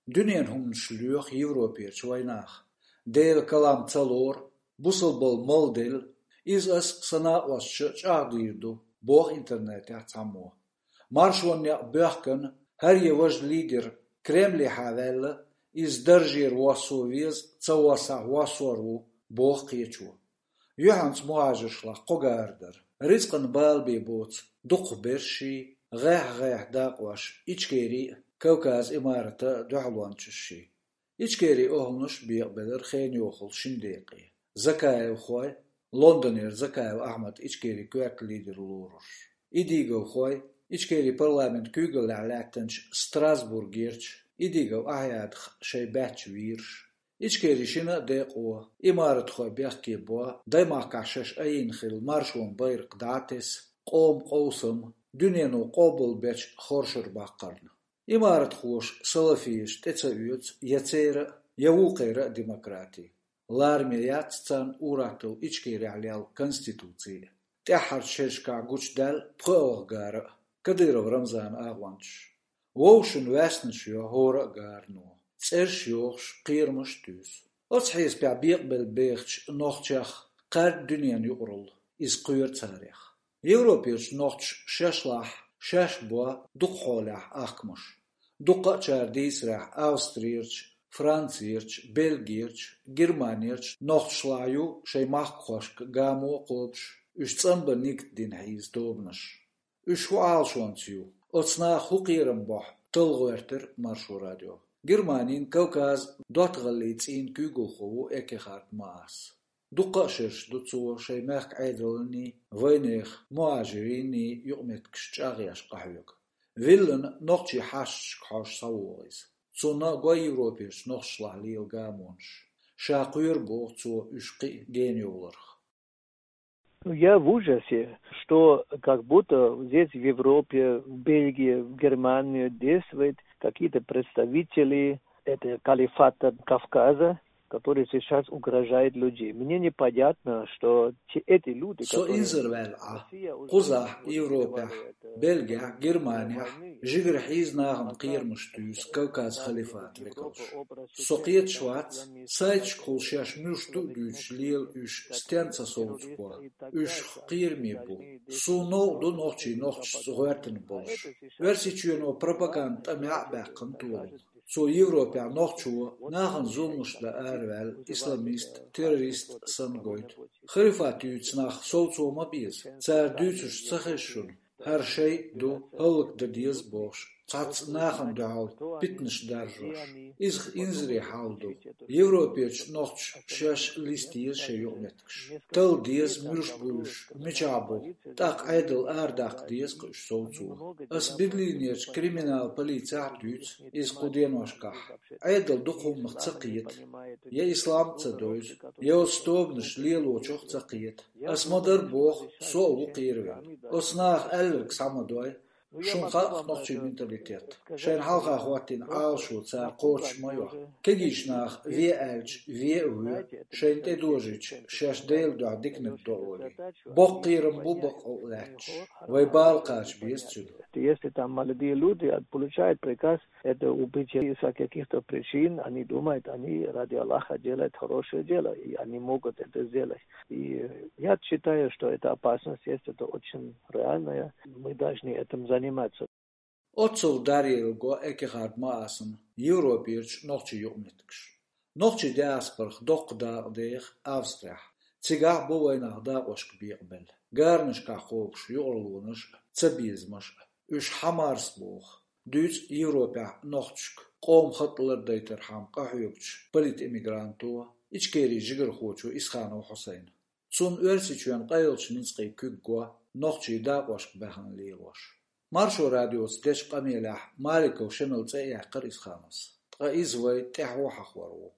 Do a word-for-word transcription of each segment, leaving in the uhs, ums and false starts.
Дуьненан хӀуманаш лоьху Европерчу вайнаха. Делан калам ца лору, бусалбалла малделла, иза ас сан накъосташна чӀагӀдийр ду, боху интернетехь цхьаммо. Маршонан некъ боьхкина, хӀара я важа лидер Кремлехьа ваьлла, иза даржера воссо веза, ца воссахь воссор ву, боху кхечо. Юьхьанца мухӀажаршлахь кхо гара дара. Рицкъан бала бен боцу дукхахберш, гӀехь-гӀехь дакъош Ичкерин а, Кавказан имарата а дуьхьалончаш. Ичкерин охӀланаш бекъабелира хенан йохалла шина декъе. Закаевхой, Лондонера Закаев Ахьмад Ичкерин коьрта лидер лоруш. Идиговхой, Ичкерин парламентан куьйгаллехь лаьттинчу Страсбургерчу Идигов Ахьядах шайн баьчча вийраш. Ичкерин шина а декъо имаратхой бехке бо, даймахкахь шаьш айина хилла маршонан байракх дӀа а тесна, къоман къовсам, дуьнено къобалбечу хоршара баккхарна. Имаратхоша салафиша тӀе ца оьцу я церан а, я вукхеран а демократи. Лараме яц царна ур-атталла Ичкерехь лелла конституци а. ТӀаьххьарчу шерашкахь гучудаьлла пхоьалгӀа гара а, Кадыров Рамзанан агӀончаш. Вовшашна ваьснаш йо хӀора а гарано, цӀераш йохуш, кхерамаш а туьйсу. Оцу хьесапехь бекъабелла бехачу нохчех кхаьрда дуьненан юкъаралла, иза кхоьру царех. Европерчу нохчаша шаьшлахь шаьш бо дукха хьолехь ахкамаш. Дуккха а чара дийцарехь Австрерчу, Францерчу, Бельгерчу, Германерчу нохчашлахь ю шайн махкахошка гамо а кхобуш, уьш цӀанбан нигат дина хьийза тобанаш. Уьш хӀун Ӏалашонца ю, оцу наха хӀун кхерам бохь, талла гӀоьртира Маршо радио. Германин Кавказан доттагӀаллин цӀийнан куьйгалхо ву Эккехард Маас. Дуккха а шераш ду цо шайн мехкан Ӏедалний, вайнехан, мухӀажирийн юкъаметтигаш чӀагӀъеш къахьоьгу. Виллина нохчийн хьашташка хьожуш схьавогӀу иза. Цунна а го Европерчу нохчашлахь лела гамонаш. Ша кхоьру боху цо уьш кхин а генайовларх. Ну, я в ужасе, что как будто здесь, в Европе, в Бельгии, в Германии действуют какие-то представители этого калифата Кавказа, который сейчас угрожает людей. Мне непонятно, что те, эти люди, Со которые инзарваьлла Ӏа. Россия уже Кхузахь, Европехь, Бельгехь, Германехь жигара хьийза нахана кхерамаш туьйсу Кавказ халифат векалш. Со кхеташ вац, сайташкахула шаьш муьлш ду а дуьйцуш лела уьш стенна ца совцабо. Уьш кхераме бу. Суна новкъа ду нохчий нохчашца гӀоьртина болуш. Оьрсийчоьно пропаганда тӀе маьӀ а баьккхина толам. Цо Европехь нохчо нахана зуламаш дан араваьлла исламист, террорист санна гойту. Халифат юьйцу нах совцо ма беза. Цара дуьйцурш ца хеза шуна, хӀара шайтӀа ду, хӀаллакдан деза бохуш, цхьацца нахана дуьхьал питанаш даржош. Иза инзаре хьал ду. Европерчу нохчаша шаьш листа еза шайн юкъаметтигаш. Талла деза, муьлш бу уьш, мичахь бу. ТӀаккха Ӏедал арадаккха деза-кх уьш совцо. Ас Берлинерчу криминал полицехь а дуьйцу иза кху деношкахь. Ӏедал дукха хӀуманах ца кхета. Я ислам а ца девза, я оцу тобанаша лелочух а ца кхета. Ас ма-дарра боху, со а ву кхеравелла. Оцу наха аьлларг схьа ма дой. Шуна хаьа-кх нохчийн менталитет. Шайна хьалха хӀоттийна Ӏалашо цара кхочуш ма йо. Кегийчу наха ве аьлча, ве а воь, шайна тӀедожийча, шаьш Делан дуьхьа диканиг до олий. Боккха кхерам бу бакъ а лаьтташ. Вай бала кхача беза цуьнан. Если там молодые люди а, получают приказ это убить из-за каких-то причин, они думают, они ради Аллаха делают хорошее дело, и они могут это сделать. И я считаю, что эта опасность есть, это очень реальная. Мы должны этим заниматься. Оццул даръелла го Эккехард Маасана Европерчу нохчийн юкъаметтигаш. Нохчийн диаспорах доккха дакъа деха Австрехь. Цигахь бу вайнах дакъошка бекъабелла. Гаранашкахь кхобуш юкъарлонаш а, цабезамаш а. Уьш хьамарс боху. Дуьйцу Европехь нохчашка къоман хатӀ лардайтархьама къахьоьгучу политэмигранто, Ичкерин жигархочо Исханов Хьусайна. Цунна Оьрсийчоьнан къайлачу ницкъийн куьг го нохчийн дакъошка баьхна лелош. Маршо радиоца дечу къамелехь Маликов Шемала цӀе а яьккхира Исхановс. Ткъа иза вай тӀаьхьо хьахор ву.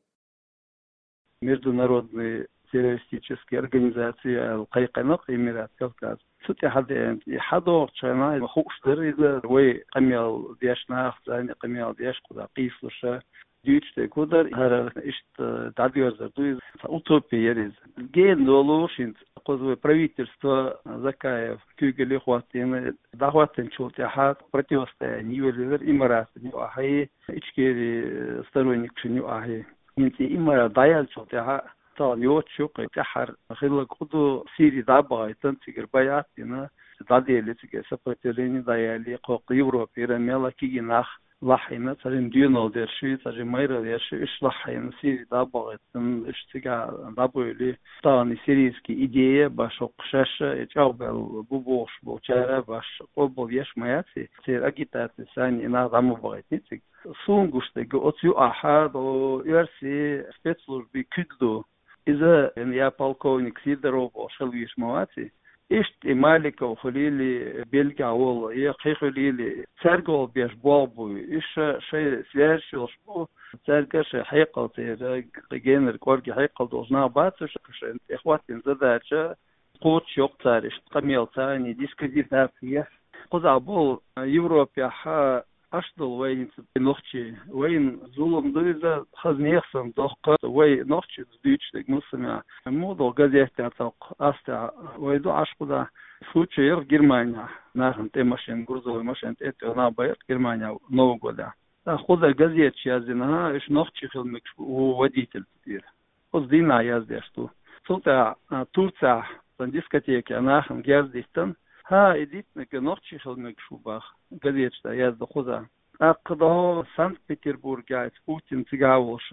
Международные террористические организации аьлла кхайкхина-кх Эмират Кавказ. Цу тӀехь деана и хьадогӀучу хенахь хууш дара иза, вай къамел деш нах, царна къамел деш, кхузахь къийсалуш а. Дуьйцуш дерг хӀун дара, хӀара иштта дӀадоьрзур ду иза, цхьа утопия яр иза. Гена долуш хӀинца кхуза вай правительство, Закаев куьйгалле хӀоттийна, дӀахӀоттийначул тӀаьхьа противостояние йолаелира Имаратан юкъахьеи, Ичкерин сторонникашна юкъахьеи. ХӀинца и Имарат дӀаяьллачул тӀаьхьа тахана йоцуш ю-кх, тӀаьххьара хилларг хӀун ду, Сири дӀа а бахийтина, цигара байӀат а дина, дӀаделла цигара сопротивление дӀаяьлла, кхоккха Европера мел а кегий нах лахьийна, цхьа жимма доьналла дерш, цхьа жимма майра дерш, уьш лахьийна, Сири дӀа а бахийтина, уьш цигахь дӀабуьйлий, тахана и сирийский идея башха хӀокху шаьш а, и чӀагӀбелла бу бохуш болчара башха къобал еш ма яц и, церан агитаци санна и нах дӀа ма бахийтиний цига. Суна гуш дерг, оцу юкъахь оьрсийн спецслужбийн куьг ду. Иза я полковник Сидоров бохуш хила везаш ма вац и. Иштта и Маликов хуьлийла, Бельгехь волу, я кхин хуьлийла, цаьрга гӀо беш болх бу. Уьш шайн связь йолуш бу, цаьрга шайн хьекъал, церан генара кӀорге хьекъал долуш нах бац уьш, шайна тӀехӀоттийна задача кхочушйо-кх цара иштта къамелца, дискредитация. Кхузахь болу Европехь Ӏаш долу вай хӀинца нохчий, вайна зулам ду иза, хаза нехан санна дохку вай нохчий, дуьйцуш дерг массанхьа. Муха долу газетехь тӀаккха, астехь вай ду Ӏаш кхузахь, случай яра Германехь, нахана тӀе машина, грузовой машина тӀе а тӀе нах байра Германехь Новый годехь. ТӀаккха кхузара газеташ яздина, хӀа, уьш нохчий хила мегаш ву водитель тӀера. Оцу дийнахь яздеш ду. Цул тӀаьхьа, а, Турцехь, цхьана дискотекехь нахана герз диттина, хӀа, и диттинарг нохчий хила мегаш ву боху, газеташ тӀехь яздан кхузахь. ТӀаккха дӀо Санкт-Петербургехь Путин цигахь волуш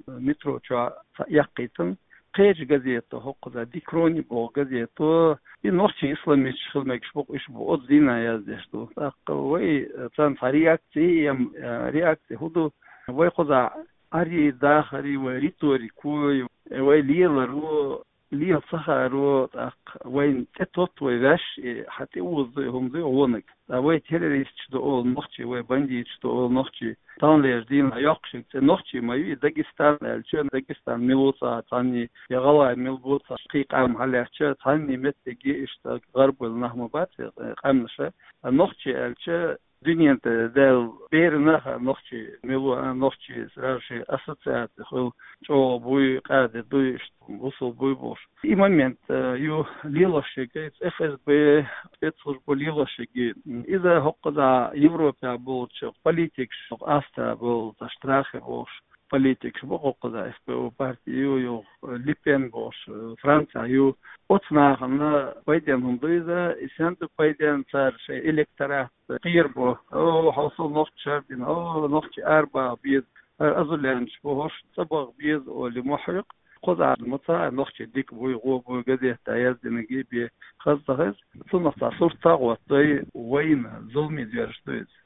метро чохь цхьаъ яккхийтина, кхечу газето хӀокхузахь, Ди Крони боху газето, и нохчий исламисташ хила мегаш бу-кх уьш боху, оцу дийнахь яздеш ду. ТӀаккха вай, а, царна цхьа реакция, я, а, реакция хӀун ду? Вай кхузахь Ӏаьрий, дахарий, вай риторикой, вай леларо, лела ца хааро, тӀаккха вайна тӀетотту вай ваьш, и хьан тӀеоза ду и хӀума ду и гӀонаг. Ткъа вай террористаш ду олу нохчий, вай бандиташ ду олу нохчий. Таханлерчу дийнахь йоккхуш ерг цӀе нохчий ма ю, и Дагестан аьлча, Дагестан мила ву цхьа цхьанний, я ГӀалгӀай мила бу цхьа кхин къам хьалаьцча, цхьанний меттиге иштта гӀарбойла нах ма бац и къаьмнаш. Ткъа нохчий аьлча, дуьнен тӀе даьлла берана а хаьа нохчий мила ву, а, нохчий сразу шайн ассоциаци хуьлу, чӀогӀа буй, къаьда дуй, иштта бусул буй бохуш. И момент, а, ю лелош ерг, ФСБ, спецслужба лелош ерг. Иза хӀокхузахь Европехь болчу политикаш, Австрехь болу, цхьа страхе бохуш, политикаш бу хӀокхузахь, СПО парти ю, юха Ле Пен бохуш, Францехь ю. Оцу нахана пайденна хӀума ду иза, и стенна ду пайденна, цара шайн электорат кхерабо. О, хьо со нохчий шардина, о, нохчий арабаха беза, хӀара азулаьнчаш бу, хӀорш цӀа баха беза олий ма хьоькху. Кхузахь ма ца хаьа нохчий дика буй, гӀо буй, газетехь яздинарг бен хаза ца хеза. Цунах цхьа сурт ца гӀоттадой вайна, зуламе доьрзуш ду иза.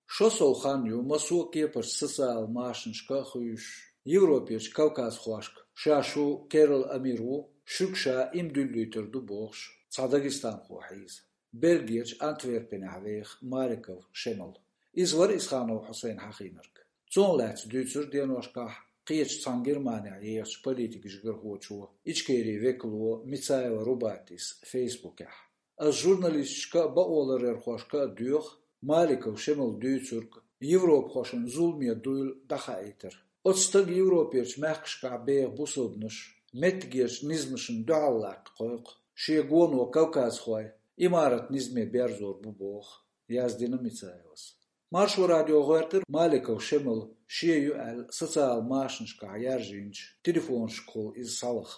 Шо сов хан ю массо а кепарчу социал машанашка а хуьйшуш, Европерчу кавказхошка. Ша шу Керол Амир ву, шуьга ша иман дуьллуьйтур ду бохуш, цхьа дагестанхо хьийза. Бельгерчу Антверпенехь веха Маликов Шемал. Иза вара Исханов Хьусайн хьахийнарг. Цунах лаьцна дуьйцура деношкахь кхечу цхьана Германехь ехачу политикан жигархочо, Ичкерин векало Мицаева Рубатис Фейсбукехь. Ас журналисташка а, бакъоларъярхошка а доьху Маликов Шемала дуьйцург европахошна зуламе дуйла дӀахаийтар. Оцу стага Европерчу мехкашкахь беха бусалбанаш меттигерчу низамашна дуьхьал латта кхойкху, шен гоно кавказхой имарат низаме берзор бу боху, яздина Мицаевас. Маршо радио гӀоьртира Маликов Шемал шен ю аьлла социал машанашкахь яржийначу телефонашкахула иза схьалаха,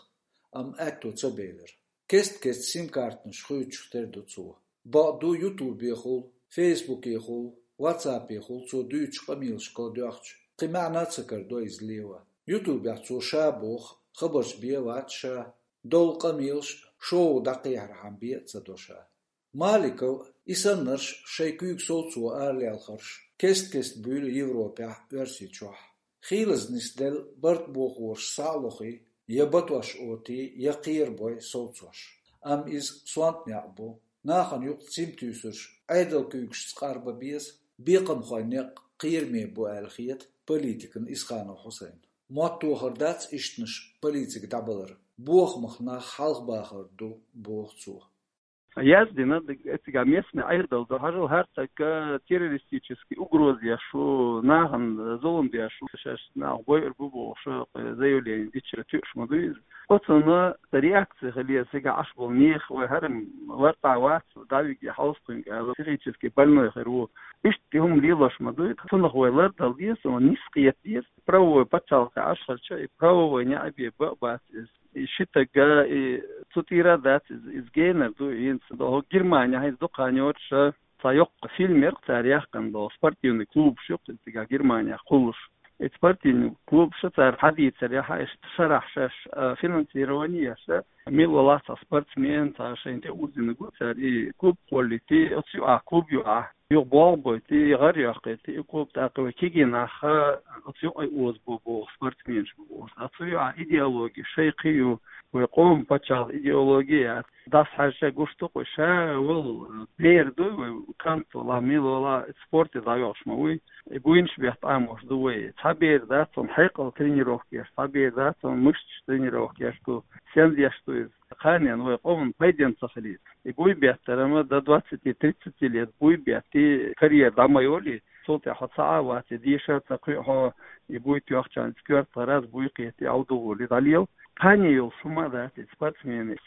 амма аьтто ца белира. Кест-кеста сим-картанаш хуьйцуш тера ду цо. Бакъду, ютубехула, фейсбукехула, ватсаппехула цо дуьйцучу къамелашкахула доьхча, кхин маьӀна а ца карадо иза лело. Ютубехь цо ша боху, хабарш бен а вац ша, долу къамелаш а шоу дӀакхехьархьама бен а ца до ша. Маликов, и саннарш, шайн куьйга совцо аралелхарш кест-кеста буьйлу Европехь, Оьрсийчохь. Хийлаза нисделла барт бохорш схьа а лохий, я батош отий, я кхерабой совцош. Амма иза сонта некъ бу. Нахана юкъа цим туьйсурш Ӏедалан куьйгашца къарба беза, бекхамхойн некъ кхераме бу аьлла хета политикана Исханов Хьусайна. Мотт тохар дац ишттанаш полицига дӀабалар, бохамах нах хьалхабахар ду, боху цо. Яздина, цига местный Ӏедал ду, хьажал хӀара саг террористический угроза еш ву, нахана зулам деш ву, шаьш нах бойур бу бохуш, заявление дича туьуш ма ду иза. Оцунна реакция хила еза, цига Ӏаш болу нехан, вай хӀара-м лартӀа вац, дӀавиге хьовсхуьнга аьлла, психически больной хир ву. Иштта хӀума лелош ма ду, цунах вай лардала деза, цунах нисса къета деза. Правовой пачхьалкхе Ӏаш хилча, и правовой неӀ бен бан а бац иза. И ши стаг, и цу тӀера дац иза, иза генар ду, хӀинца хӀокху Германехь иза дукха хан йоцуш, цхьа йоккха фильм яра цара яьккхина долу, спортивный клубаш ю-кх иза цигахь Германехь кхуллуш. И спортивный клубаш цара хьадийцарехь, иштта шарахь шаьш, а, финансирование еш, мила валахь цхьа спортсмен, цхьа шайна тӀе узийнарг ву цара, и клуб кхоллийти, оцу юкъахь клуб юкъахь, юха болх бойти, гӀар йоккхийти, и клуб тӀаккха вай кегий нах оцу юкъе озабо боху, спортсменаш бу боху. Оцу юкъахь идеология шайн кхин ю, вай къоман пачхьалкхан идеология яц. Дас хьаьжча гуш ду-кх вай, ша вала бер ду вай, кӀант вала, мила вала, спорте дӀайохуш ма вуй. И буйнаш бетта Ӏамош ду вай. Цхьа бер дац, цунна хьекъал тренировка еш, цхьа бер дац, цунна мышцаш тренировка еш ду, сенна еш ду иза. Кханенна вай къоман пайденна ца хилийта. И буй беттара ма до двадцати-тридцати лет буй бетти, карьера дӀа ма йолий, цул тӀаьхьа хьо цхьа а вац, и деша а ца кхуьу хьо, и буй тоьхча, цкъа коьрта гӀараз буй кхетий, Ӏовдал волий, дӀалела. Кхане йолуш хӀума а дац и спортсменийн.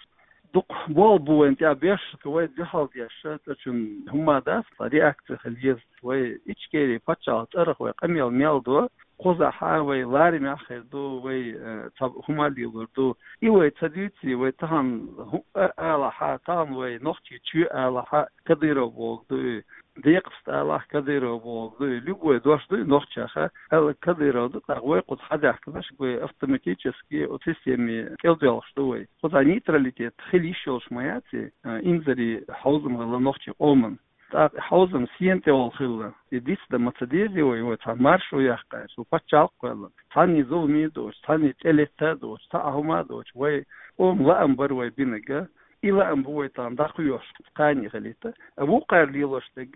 Дукха болх бу вайна тӀехь беш, вай дуьхьал деш, цкъачунна хӀума а дац, реакция хила еза. Вай Ичкери пачхьалкхан цӀарах вай къамел мел до, кхузахь вай ларамехь хир ду, вай, э, цхьа хӀума лелор ду. И вай ца дуьйций, вай тахана хӀу-, а, алахь, тахана вай нохчий чоь алахь, Кадыров бохург ду и, декъаста алахь, Кадыров бохург ду и, любой дош ду и нохчех, аьлла Кадыров ду, тӀаккха вай кхуза хьадаьхкинарш, вай автоматически оцу системе кӀелдоьлхуш ду вай. Кхузахь нейтралитет хила йиш йолуш ма яц и, а, инзаре хьовзам хилла нохчийн къоман. ТӀаккха хьовзам сена тӀе волу хилла. И дицдан ма ца дезий вай, вай цхьа маршо яккха, цу пачхьалкх а кхоьллина. Цхьанний зуламе а доцуш, цхьанний тӀелетта а доцуш, цхьа а хӀума а доцуш, вай къоман лаам бара вай бинарг, и лаам бу вай тахана дӀакхоьхьуш, кхане хилийта. А вукхара лелош дерг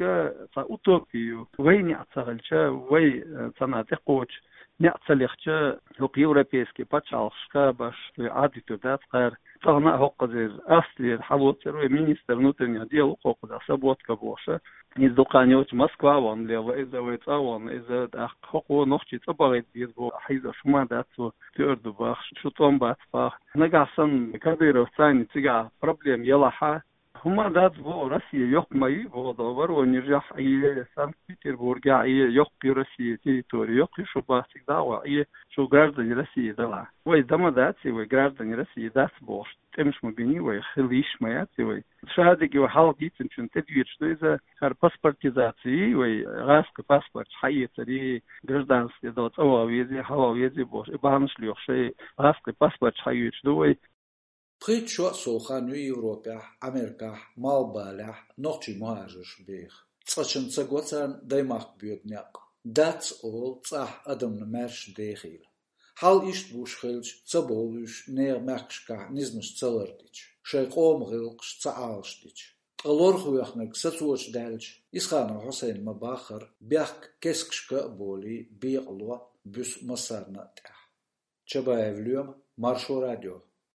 цхьа утопия ю. Вай неӀ ца хилча, вай, э, цхьанна тӀекхочу неӀ ца лехча, хӀокху европейский пачхьалкхашка баш вай Ӏадвитур дац кхара. Тахана а хӀокхузара Австрера хьалоцура вай министр внутренних дел, ву кхузахь Соботка бохуш. Иза дукха хан йоцуш Москва вахана лела, иза вай цӀа а вахана, иза тӀаккха хӀокхо нохчий цӀа бахийта беза боху, хьийзош хӀума дац цо, туьар ду бахаш, шу тӀом бац баха. Нагахь санна Кадыровца цигахь проблема елахь, хӀума дац боху, Россия йоккха ма ю боху, Воронежехь а, Санкт-Петербургехь а, йоккха ю Россия территори, йоккха ю шу баха цига дӀа а вахана, шу граждане России далахь. Вай дан ма дац и, вай граждане России дац бохуш, тӀемаш ма бина и вай, хила йиш ма яц и вай. Шадерг вай хьалха дийцинчунна тӀедоьдуш ду иза, хӀара паспортизаци, вай гӀазкхи паспорташ хьаэцари, гражданский долу цӀа ваха везий, хьаваха везий бохуш, и бахьанаш лоьхуш, шайн гӀазкхи паспорташ хьаоьцуш ду вай. Пхийтта шо а сов хан ю Европехь, Америкахь, Малхбалехь нохчий мухӀажарш беха. Цкъачунна ца го царна даймахка боьду некъ. Дац олу цӀахь адамна маьрша дехийла. Хьал иштта гуш хилча, ца бовлуьйш нехан мехкашкахь низамаш ца лардича, шайн къоман гӀиллакхаш ца Ӏалашдича. Ткъа лорхавоьхнарг сацочу даьлча, Исханов Хьусайна ма-баххара, бехк кескашка а болий, бекъало буьсу массарна а тӀехь. Чабаев Лоьма, Маршо радио.